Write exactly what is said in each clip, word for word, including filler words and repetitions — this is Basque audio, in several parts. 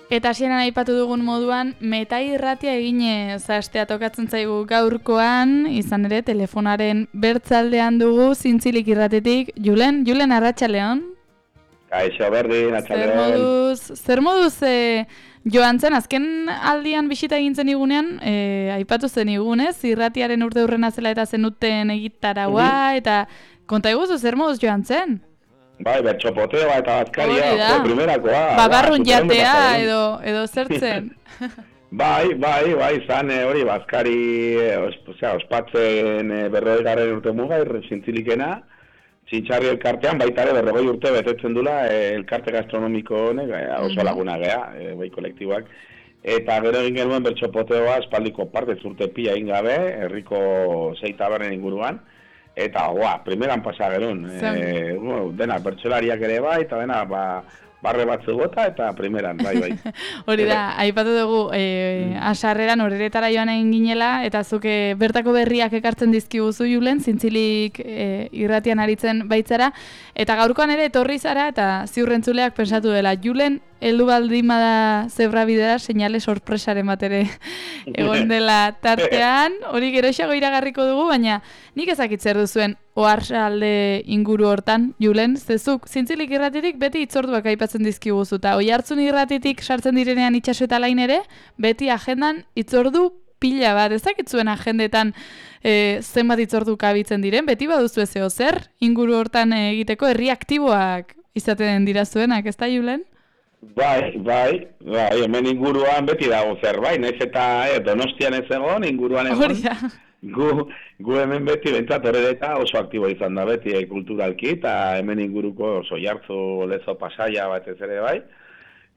Eta hasieran aipatu dugun moduan, meta irratia eginez hastea tokatzen zaigu gaurkoan, izan ere telefonaren bertzaldean dugu Zintzilik irratetik. Julen, Julen Arratsaldeon. Kaixo berdin, atxaleon. Zer moduz, zer moduz e, joan zen, azken aldian bisita egin zen igunean, e, aipatu zen igunez, irratiaren urte hurrena zela eta zenuten egitaraua, mm-hmm. eta konta eguzu, zer moduz joan zen? Bai, bertxopotea eta bazkaria, jo, primerakoa. Babarrun jatea edo, edo zertzen. bai, bai, bai, zan hori bazkari, osea, ospatzen berrogei garren urte muga, Zintzilikena, Txintxarri elkartean, baita ere berrogei urte betetzen dula elkarte gastronomiko honek, oso laguna gea, bai kolektiboak. Eta gero egin genuen bertxopoteoa espaldiko parte zurte pila egin gabe, herriko sei tabernen inguruan. Eta, goa, primeran pasa gerun. E, bueno, dena, bertsolariak ere bai, eta dena, ba, barre batzu gota, eta primeran, bai, bai. Hori da, aipatu dugu, e, asarreran horretara joan egin ginela, eta zuke bertako berriak ekartzen dizkiguzu Julen, Zintzilik e, irratian aritzen baitzara, eta gaurkoan ere etorri zara, eta ziurrentzuleak pensatu dela, Julen, heldu baldin bada zebra bidera, seinale sorpresaren bat ere egon dela tartean, hori geroxago iragarriko dugu, baina nik ezakit zer duzuen Oarsalde inguru hortan, Julen, zezuk Zintzilik irratitik beti itzorduak aipatzen dizkiguzu, eta Oihartzun irratitik sartzen direnean itxaso eta lain ere, beti agendan itzordu pila bat, ezakitzuen agendetan e, zenbat itzordu kabitzen diren, beti baduzu ezeo zer, inguru hortan egiteko herri aktiboak izaten dira zuenak, ez da Julen? Bai, bai, bai, hemen inguruan beti dago zerbait, naiz eta eh, Donostian ez egon, inguruan egon. Gu, gu hemen beti bentsat horreta oso aktibo izan da beti eh, kulturalki, eta hemen inguruko oso jartzu, lezo, pasaia bat ez ere bai.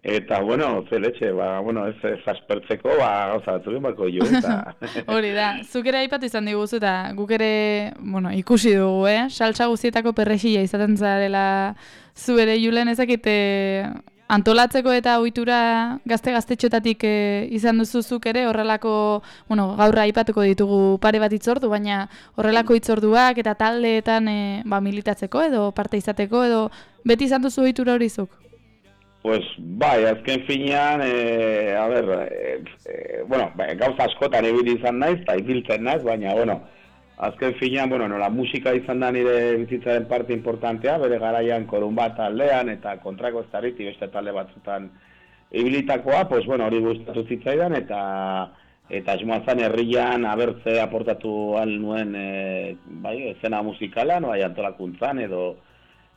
Eta, bueno, ze letxe, ba, bueno, ez, ez aspertzeko, ba, gauza batzuk bako jo, eta... Hori da, zuk ere aipatu izan diguzu, eta guk ere, bueno, ikusi dugu, eh? Saltsa guztietako perrexila izaten zarela zu ere, Julen, ezakite... Antolatzeko eta ohitura gazte-gaztetxotatik e, izan duzuzuk ere, horrelako, bueno, gaurra aipatuko ditugu pare bat itzordu, baina horrelako itzorduak eta taldeetan e, ba, militatzeko edo parte izateko edo beti izan duzu ohitura hori zuk? Pues bai, azken finean, e, a ber, e, e, bueno, gauza askotan ibili izan naiz, eta ibiltzen naiz, baina, bueno, azken finean, bueno, nola musika izan da nire bizitzaren parte importantea, bere garaian korun bat taldean eta kontrako ez tarriti beste talde batzutan ibilitakoa, pues bueno, hori gustatu zitzaidan eta eta esmoa zan herrian abertze aportatu al nuen e, bai, esena musikalan, bai, antolakuntzan edo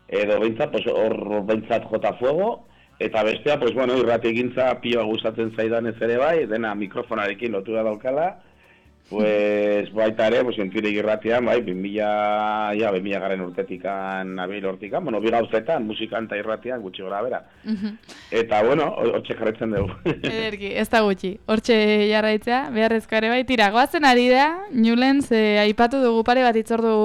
edo behintzat, pues hor behintzat jota fuego, eta bestea, pues bueno, irrati egintza pioa gustatzen zaidan ez ere bai, dena mikrofonarekin lotura daukala, pues baita ere, pues Zintzilik irratian, bai, bimila, ja, bimila garen urtetikan, abil hortikan, bueno, bi gauzetan, musikan eta irratian, gutxi gora bera. Uh-huh. Eta, bueno, hortxe jarraitzen dugu. Ederki, ez da gutxi, hortxe jarraitzea, beharrezko ere bai, tira, goazen ari da, Julen, ze aipatu dugu pare bat itzordu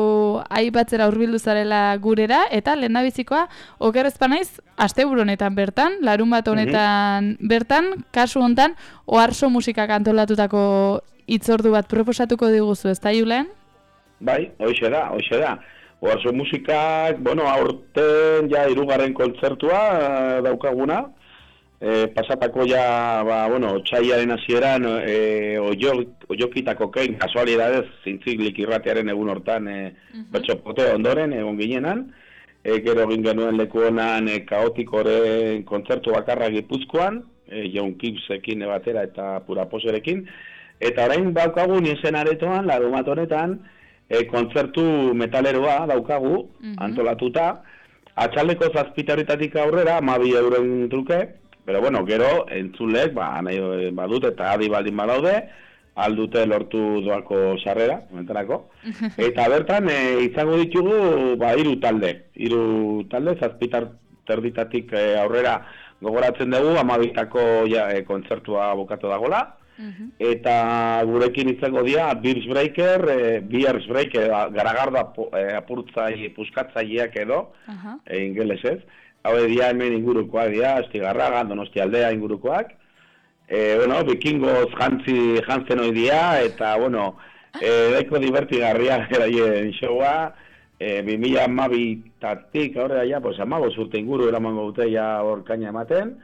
aipatzera hurbildu zarela gurera, eta lehendabizikoa, oker ezpanaiz, asteburu honetan bertan, larun bat honetan uh-huh. bertan, kasu hontan, Oarso musikak antolatutako itzordu bat proposatuko diguzu, ez da, Julen? Bai, hoxe da, hoxe da. Oarso musikak, bueno, aurten ja hirugarren kontzertua daukaguna. E, pasatako ja, ba, bueno, txaiaren hasieran e, oiokitako kein, kasualidadez, Zintzilik irratiaren egun hortan e, uh-huh. bertxopote ondoren, egon ginenan. E, gero egin genuen leku honan e, kaotikoren kontzertu bakarra Gipuzkoan, e, Jon Kipsekin batera eta Puraposerekin. Eta orain daukagu nien aretoan, larumat honetan, e, kontzertu metaleroa daukagu, uh-huh. antolatuta, atxaldeko zazpitarritatik aurrera, hamabi euroen truke, pero bueno, gero, entzulek, ba, nahi badut eta adi baldin badaude, aldute lortu doako sarrera, momentarako. Eta bertan, e, izango ditugu, ba, hiru talde, hiru talde, zazpitarritatik e, aurrera gogoratzen dugu, hamabitako ja, e, kontzertua bukatu dagola. Uh-huh. Eta gurekin izango dira Beers Breaker, e, Beers Breaker, garagarda e, apurtzai, puskatzaileak edo, uh-huh. e, ingelesez. Hau dira hemen ingurukoak dira, Astigarraga, Donostialdea ingurukoak. E, bueno, bikingoz jantzi jantzen hoi dira, eta, bueno, e, daiko divertigarria eraien showa, e, bi mila hamabitatik aurrera ja, pues, hamabost urte inguru eramango dute ja hor kaina ematen.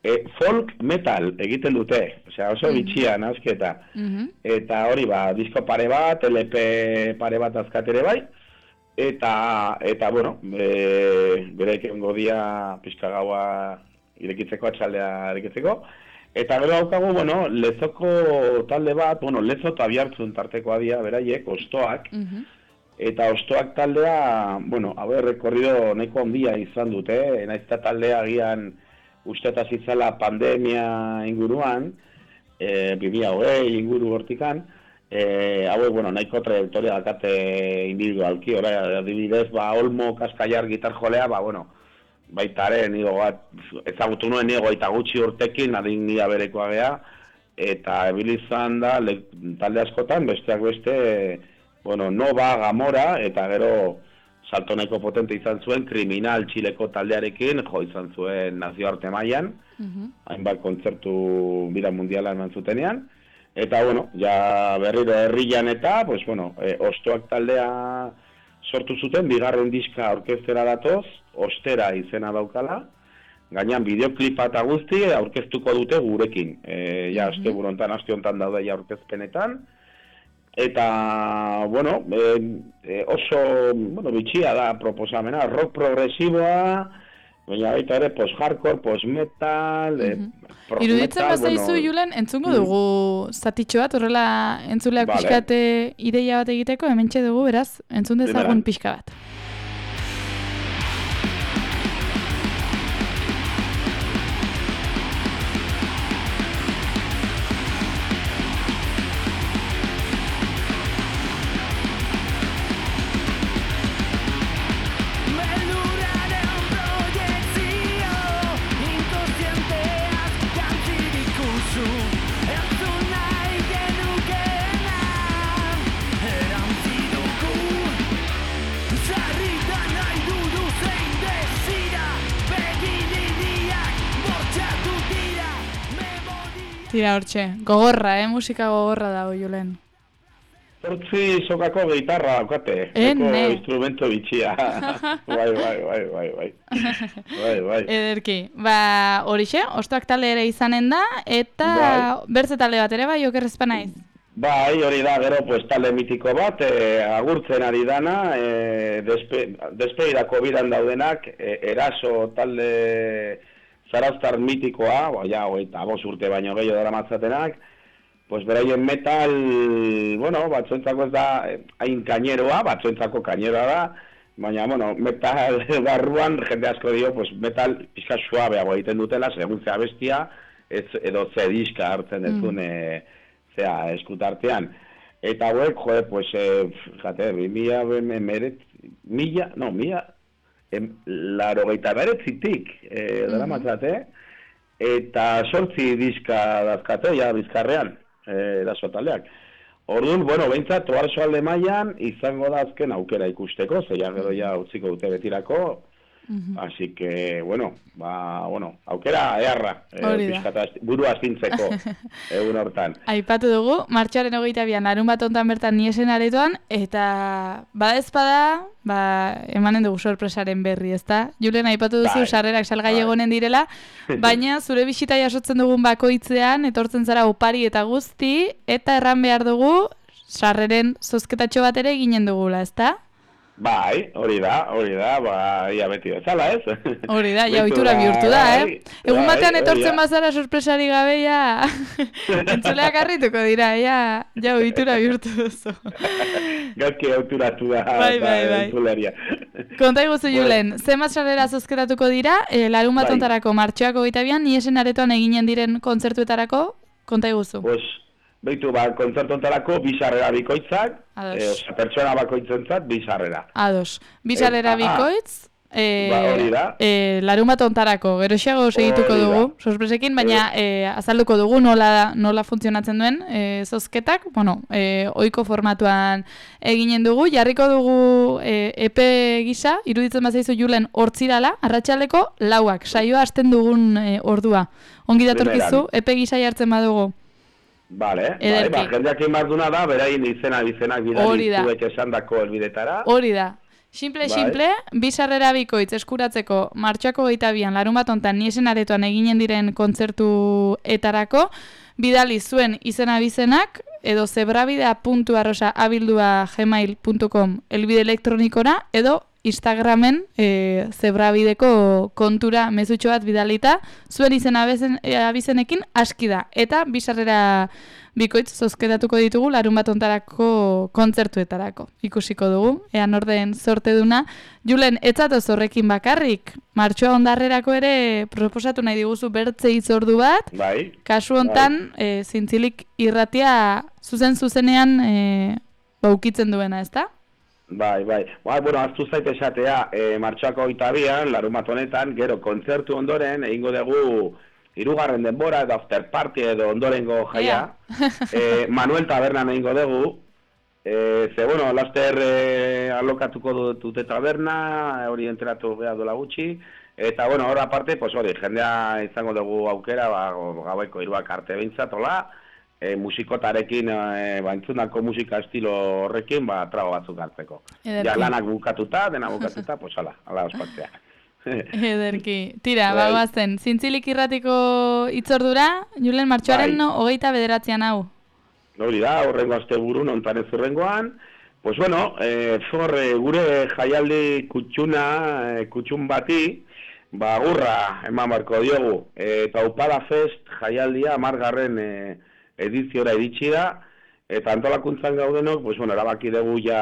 e, folk metal egiten dute, osea, oso bitxia nasketa. Mhm. Eta hori ba, disko pare bat, L P pare bat azkatere bai, eta, eta bueno, e, bere ekengo dia pixka gaua irekitzeko, atxaldea irekitzeko, eta gero daukagu, bueno, Lezoko talde bat, bueno, Lezo eta Biartzun tartekoa dia, beraiek, Ostoak, Mhm. eta Ostoak taldea, bueno, hau rekorrido nahiko handia izan dute, naiz eta taldea agian uste eta zitzala pandemia inguruan, e, bi mila hogei inguru hortikan, e, hauek, bueno, nahiko trajektoria dakate individualki, ora, adibidez, ba, Olmo Kaskaiar gitar jolea, ba, bueno, baitaren, nigo bat, ezagutu nuen nigo eta gutxi urtekin, adin nia berekoa gea, eta ebilizan da, le, talde askotan, besteak beste, bueno, Nova, Gamora, eta gero salto nahiko potente izan zuen, Kriminal Txileko taldearekin, jo izan zuen nazioarte mailan, Mhm. hainbat kontzertu bira mundiala eman zutenean, eta, bueno, ja berriro herrian eta, pues, bueno, e, Ostoak taldea sortu zuten, bigarren diska orkestera datoz, Ostera izena daukala, gainan bideoklipa eta guzti aurkeztuko dute gurekin. E, ja, aste burontan, aste hontan daude ja aurkezpenetan, eta, bueno, e, e, oso, bueno, bitxia da proposamena, rock progresiboa, baina baita ere post-hardcore, post-metal, e, prog Iruditzen metal, bazaizu, bueno, Julen, entzungo dugu zatitxo bat, horrela entzuleak Vale. pixkate ideia bat egiteko, hementxe dugu, beraz, entzun dezagun Primera. pixka bat. Beldurraren proiektzio, inkontzienteaz jantzi dikuzu, entzun nahi genukeena, erantzi dugu. Sarritan nahi dudu zein desira, begiririak bortxatu dira, memoria. Tira hortxe, gogorra, eh? Musika gogorra dago, Julen. Zortzi sokako gitarra daukate, Ene. eko instrumento bitxia. bai, bai, bai, bai, bai. Bai, bai. Ederki, ba, horixe, Ostoak talde ere izanen da, eta Bai. bertze talde bat ere, bai, okerrezpa naiz. Bai, hori da, gero, pues, talde mitiko bat, e, agurtzen ari dana, e, despe, despeirako biran daudenak, e, eraso talde zarauztar mitikoa, ba, ja, eta bost urte baino gehiago dara matzatenak, pues beraien metal, bueno, batzuentzako ez da eh, hain kaineroa, batzuentzako kaineroa da, baina, bueno, metal barruan jende asko dio, pues metal pixka suabeago egiten dutela, segun zea bestia, ez, edo ze diska hartzen dezun, mm. e, zea eskutartean. Eta hauek, joe, pues, e, jate, mila, meret, mila, no, mila, em, laro geita beretzitik, e, dara matzate, eta sortzi diska dazkate, ja, bizkarrean. Eraso taldeak. Orduan, bueno, behintzat, oarso alde mailan izango da azken aukera ikusteko, zeia gero ja utziko dute betirako, así que, bueno, ba, bueno, aukera eharra, Hori da. pixkata buru astintzeko egun hortan. Aipatu dugu, martxoaren hogeita bian, larun bat hontan bertan niesen aretoan, eta bada ezpada, ba, emanen dugu sorpresaren berri, ezta? Julen, aipatu duzu, Bai. sarrerak salgai Bai. egonen direla, baina zure bisita jasotzen dugun bakoitzean, etortzen zara opari eta guzti, eta erran behar dugu, sarreren zozketatxo bat ere eginen dugula, ezta? Bai, hori da, hori da, ba, ia beti bezala, ez? Hori da, ja Beti ohitura bihurtu da, bai, eh? Egun bai, batean hori etortzen da. bazara sorpresari gabe, ja, entzuleak harrituko dira, ja, ja ohitura bihurtu duzu. Gauzki auturatu da, Bai, bai, da bai. entzuleria. Konta iguzu, Julen, zenbat sarrera zozketatuko dira, e, larun bat Bai. hontarako martxoak hogeita bian, niesen aretoan eginen diren kontzertuetarako, konta iguzu. Pues, behitu, ba, kontzertu ontarako, bi sarrera bikoitzak, Ados. e, oza, pertsona bakoitzentzat, bi sarrera. Ados, bi sarrera Eh, ah, bikoitz, e, ba, hori da. e, larun bat hontarako, geroxeago segituko Hori da. dugu, sorpresekin, baina e, azalduko dugu nola, nola funtzionatzen duen e, zozketak, bueno, e, ohiko formatuan eginen dugu, jarriko dugu e, epe gisa, iruditzen bazaizu Julen hortzirala, arratsaldeko lauak, saioa hasten dugun e, ordua. Ongi datorkizu, epe gisa jartzen badugu. Vale, bai, Ederki. ba, jendeak inbarduna da, beraien izena izenak Hori bidali da. zuek esandako helbidetara. Hori da. Simple, Bai. simple, bi sarrera bikoitz eskuratzeko martxoako hogeita bian larun bat hontan niesen aretoan eginen diren kontzertuetarako, bidali zuen izen abizenak edo zebrabidea puntu arrosa abildua gmail puntu com elbide elektronikora edo Instagramen e, zebrabideko kontura mezutxo bat bidalita, zuen izen abizen, e, abizenekin aski da. Eta bi sarrera bikoitz zozketatuko ditugu larun bat ontarako kontzertuetarako. Ikusiko dugu, ean orden sorte duna. Julen, etzatoz horrekin bakarrik, martxoa ondarrerako ere proposatu nahi diguzu bertze hitzordu bat. Bai. Kasu hontan, bai. e, zintzilik irratia zuzen-zuzenean e, baukitzen duena, ezta? Bai, bai. Bai, bueno, aztu zait esatea, e, martxoako hogeita bian, larun bat honetan, gero kontzertu ondoren, egingo dugu hirugarren denbora edo after party edo ondorengo jaia. e, Manuel Tabernan egingo dugu. E, ze, bueno, laster e, alokatuko dute taberna, hori enteratu behar dola gutxi. Eta, bueno, hor aparte, pues hori, jendea izango dugu aukera, ba, gaueko hiruak arte behintzat, hola. E, musikotarekin, e, ba, entzunako musika estilo horrekin, ba, trabo batzuk hartzeko. Ja, lanak bukatuta, dena bukatuta, pues ala, ala ospatzea. Ederki. Tira, bai. Bagoazen, zintzilik irratiko itzordura, Julen, martxoaren bai. no, hogeita bederatzean hau. Hori da, horrengo asteburun, ontan ez urrengoan. Pues bueno, e, for, e, gure jaialdi kutxuna, e, kutxun bati, ba, gurra eman barko diogu. E, Taupada Fest jaialdia amargarren e, ediziora iritsi da, eta antolakuntzan gaudenok, pues bueno, erabaki dugu ja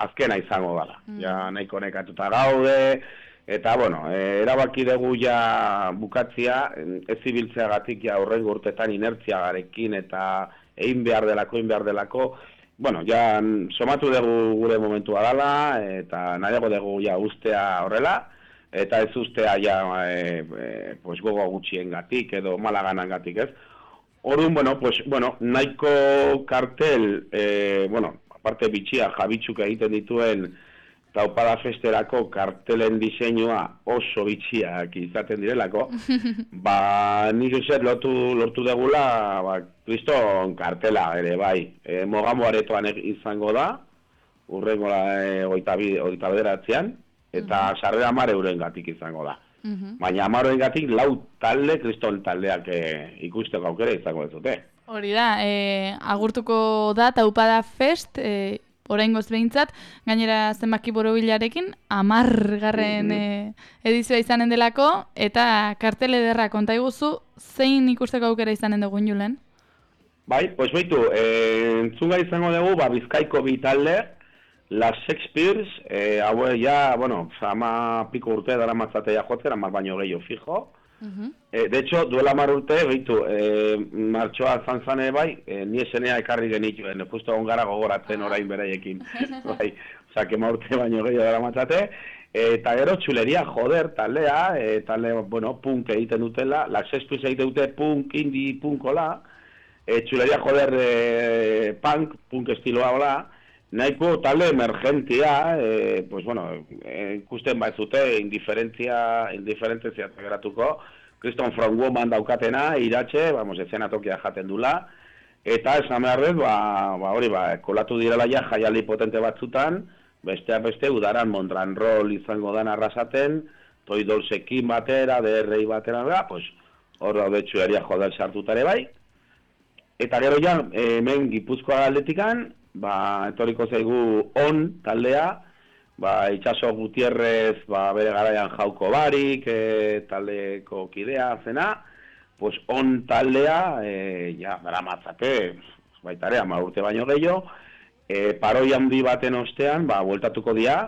azkena izango dela. Mm. Ja nahiko nekatuta gaude, eta bueno, e, erabaki dugu ja bukatzia, ez ibiltzeagatik ja horrengo urtetan inertziagarekin eta egin behar delako, egin behar delako, bueno, ja somatu dugu gure momentua dela, eta nahiago dugu ja ustea horrela, eta ez ustea ja e, e, pues gogo gutxiengatik edo malaganangatik, ez? Orduan, bueno, pues, bueno, nahiko kartel, eh, bueno, aparte bitxia jabitzuk egiten dituen Taupada Festerako kartelen diseinua oso bitxiak izaten direlako, ba, nik uste lortu, lortu degula, ba, kriston kartela ere, bai, e, Mogamo aretoan izango da, urrengo e, oita bederatzean, eta sarrera hamar eurengatik izango da. Uhum. Baina amaroen gatik lau talde, kriston taldeak e, ikusteko aukera izango ez dute. Hori da, e, agurtuko da Taupada Fest, e, oraingoz behintzat, gainera zenbaki borobilarekin, amargarren mm-hmm. e, edizioa izanen delako, eta kartel ederra konta iguzu, zein ikusteko aukera izanen dugun, Julen? Bai, pues baitu, e, entzunga izango dugu, ba, Bizkaiko bi talde, Las Shakespeares, eh, haue ja, bueno, ama piko urte dara matzatea jotzen, amar baino gehiago fijo. Uh-huh. eh, de hecho, duela amar urte, behitu, eh, martxoa zantzane bai, eh, ni esenea ekarri genituen, justo ongara gogoratzen orain beraiekin. Bai, oza, kema urte baino gehiago dara matzate. Eta gero, txuleria, joder, taldea, e, talde, bueno, punk egiten dutela, Las Shakespeares egiten dute punk, indie, punkola, e, txuleria, joder, e, punk, punk estiloa hola, nahiko talde emergentia, eh, pues bueno, ikusten eh, baizute, indiferentzia, indiferentzia geratuko, Kriston From Woman daukatena, iratxe, vamos, eszenatokia jaten dula, eta esan behar dut, ba, ba, hori, ba, kolatu direla ja jaialdi potente batzutan, besteak beste, udaran Mondran Roll izango dan arrasaten, Toy Dolcekin batera, D R I batera, ba, pues, hor daude txuleria joder sartutare bai, eta gero ja, hemen Gipuzkoa aldetikan, ba, etoriko zaigu on taldea, ba, Itxaso Gutierrez, ba, bere garaian Jauko Barik, e, taldeko kidea zena, pues on taldea, e, ja, dara matzate, baitare, ama urte baino gehiago, e, paroi handi baten ostean, ba, bueltatuko dira,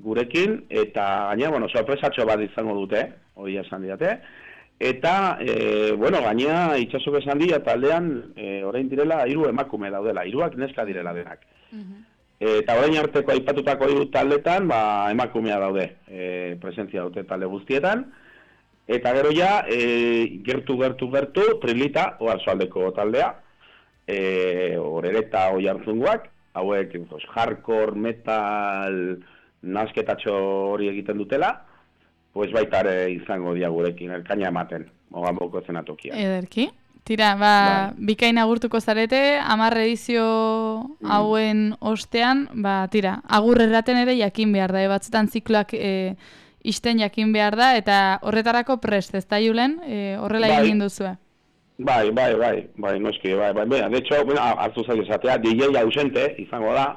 gurekin, eta gaina, bueno, sorpresatxo bat izango dute, hori esan diate, eta, e, bueno, gaina Itxasok esan dira taldean, e, orain direla, hiru emakume daudela, hiruak neska direla denak. Uh-huh. e, eta orain arteko aipatutako hiru taldetan, ba, emakumea daude, e, presentzia dute talde guztietan, eta gero ja, e, gertu, gertu, gertu, Trilita, oarsoaldeko taldea, e, Orereta oi hartzunguak, hauek, pues, hardcore, metal, nasketatxo hori egiten dutela, pues baitare izango dia gurekin, elkaina ematen, Mogamboko zenatokia. Ederki. Tira, ba, bikain agurtuko zarete, hamar edizio hauen ostean, ba, tira, agur erraten ere jakin behar da, e, batzutan zikloak e, isten jakin behar da, eta horretarako prest, ez da Julen, e, horrela Bai. egin duzue. Bai, bai, bai, bai, noski, bai, bai, bai, de hecho, bueno, hartu zaio esatea, D J ausente izango da,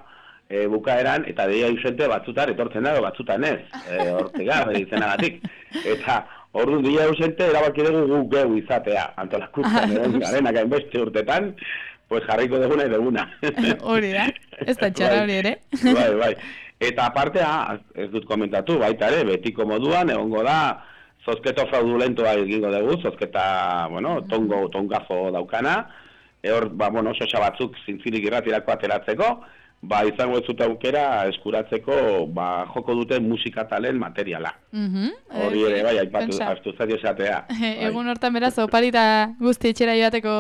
e, bukaeran, eta D J ausente batzutan etortzen dago, batzutan ez, e, hortega, izenagatik. Eta, orduan, D J ausente erabaki dugu guk geu izatea, antolakuntzan, egon garenak hainbeste urtetan, pues jarriko duguna eduguna. Hori da, ez da txarra hori ere. Bai, bai. Eta aparte, ez dut komentatu, baita ere, betiko moduan, egongo da, zozketo fraudulentoa egingo dugu, zozketa, bueno, tongo, tongazo daukana, hor, ba, bueno, sosa batzuk zintzilik irratirako ateratzeko, ba, izango ez dut aukera eskuratzeko, ba, joko duten musikatalen materiala. Hori ere, bai, aipatu, astu zaio esatea. Egun hortan beraz, oparita guzti etxera joateko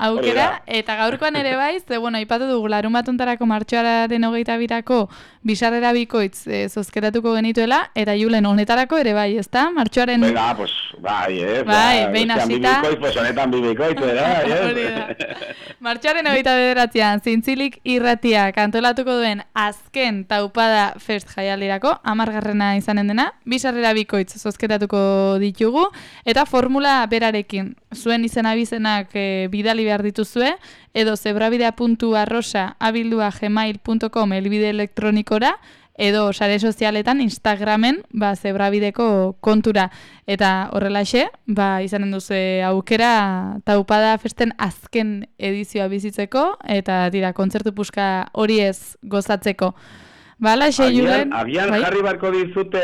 aukera, eta gaurkoan ere bai, ze, bueno, aipatu dugu, larun batuntarako martxoaren hogeita birako bisarrera bikoitz e, zozketatuko genituela, eta Julen honetarako ere bai, ezta? Martxoaren... Venga, pues, bai, ez. Bai, behin hasita. Bikoitz, pues, honetan bibikoitz, bai, Hori da. Martxoaren hogeita bederatzean, zintzilik irratiak antolatuko duen azken taupada fest jaialdirako, hamargarrena izanen dena, bisarrera bikoitz zozketatuko ditugu, eta formula berarekin, zuen izen abizenak e, bidali behar dituzue, edo zebrabidea puntu arrosa abildua gmail puntu com elbide elektronikora, edo sare sozialetan Instagramen ba, zebrabideko kontura. Eta horrelaxe, ba, izanen duzu aukera taupada festen azken edizioa bizitzeko, eta dira, kontzertu puska hori ez gozatzeko. Bala, xe, Julen? Agian bai? Jarri barko dizute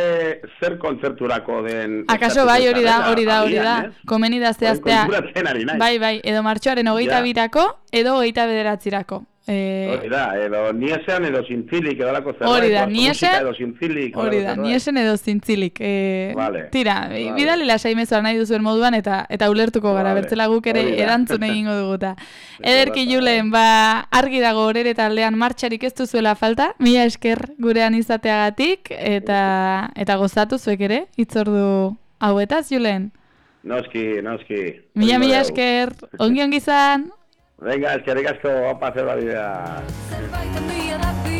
zer kontzerturako den... Akaso bai, hori da, hori da, hori da. Agian, Komeni da zehaztea. Konturatzen ari naiz. Bai, bai, edo martxoaren hogeita birako, edo hogeita bederatzirako. Eh, hori da, edo niesean edo zintzilik, edo lako zerbait. Hori da, niesen, edo zintzilik. hori da, niesen edo zintzilik. Eh, vale. Tira, vale. bidali lasai mezua nahi duzuen moduan, eta eta ulertuko gara, Vale. bertzela guk ere Hori da. erantzun egingo duguta. Ederki Julen, ba, argi dago horere taldean martxarik ez duzuela falta, mila esker gurean izateagatik, eta eta gozatu zuek ere, hitzordu hauetaz, Julen. Noski, noski. Mila, mila esker, ongi ongi izan. Venga, eskerrik asko, opa zer da bidea. Zerbait handia da bi